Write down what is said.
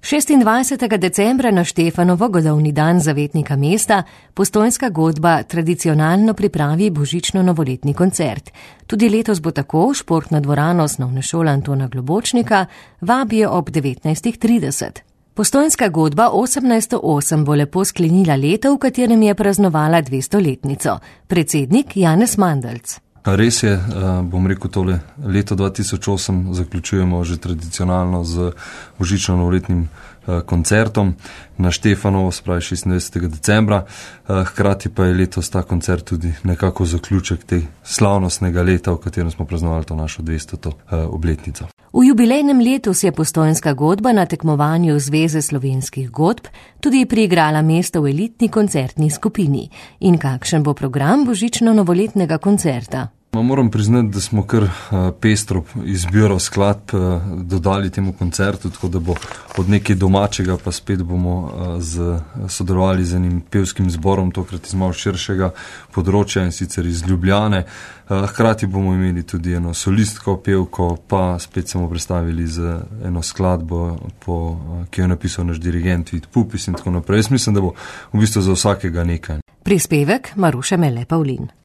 26. decembra na Štefanovo, godovni dan zavetnika mesta, Postojnska godba tradicionalno pripravi božično-novoletni koncert. Tudi letos bo tako športno dvorano Osnovne šole Antona Globočnika vabijo ob 19:30. Postojnska godba 1808 bo lepo sklenila leto, v katerem je praznovala 200-letnico. Predsednik Janez Mandelc. Res je, bom rekel tole, leto 2008 zaključujemo že tradicionalno z božično-novoletnim koncertom na Štefanovo, spravi 26. decembra. Hkrati pa je letos ta koncert tudi nekako zaključek te slavnostnega leta, v katerem smo praznovali to našo 200. obletnico. V jubilejnem letu si je Postojnska godba na tekmovanju Zveze slovenskih godb tudi priigrala mesto v elitni koncertni skupini. In kakšen bo program božično-novoletnega koncerta? Moram priznati, da smo kar pestro izbiro skladb dodali temu koncertu, tako da bo od nekaj domačega, pa spet bomo sodelovali z enim pevskim zborom, tokrat iz malo širšega področja in sicer iz Ljubljane. Hkrati bomo imeli tudi eno solistko, pevko, pa spet smo predstavili z eno skladbo, ki jo je napisal naš dirigent Vid Pupis in tako naprej. Jaz mislim, da bo v bistvu za vsakega nekaj. Prispevek Maruše Mele Pavlin.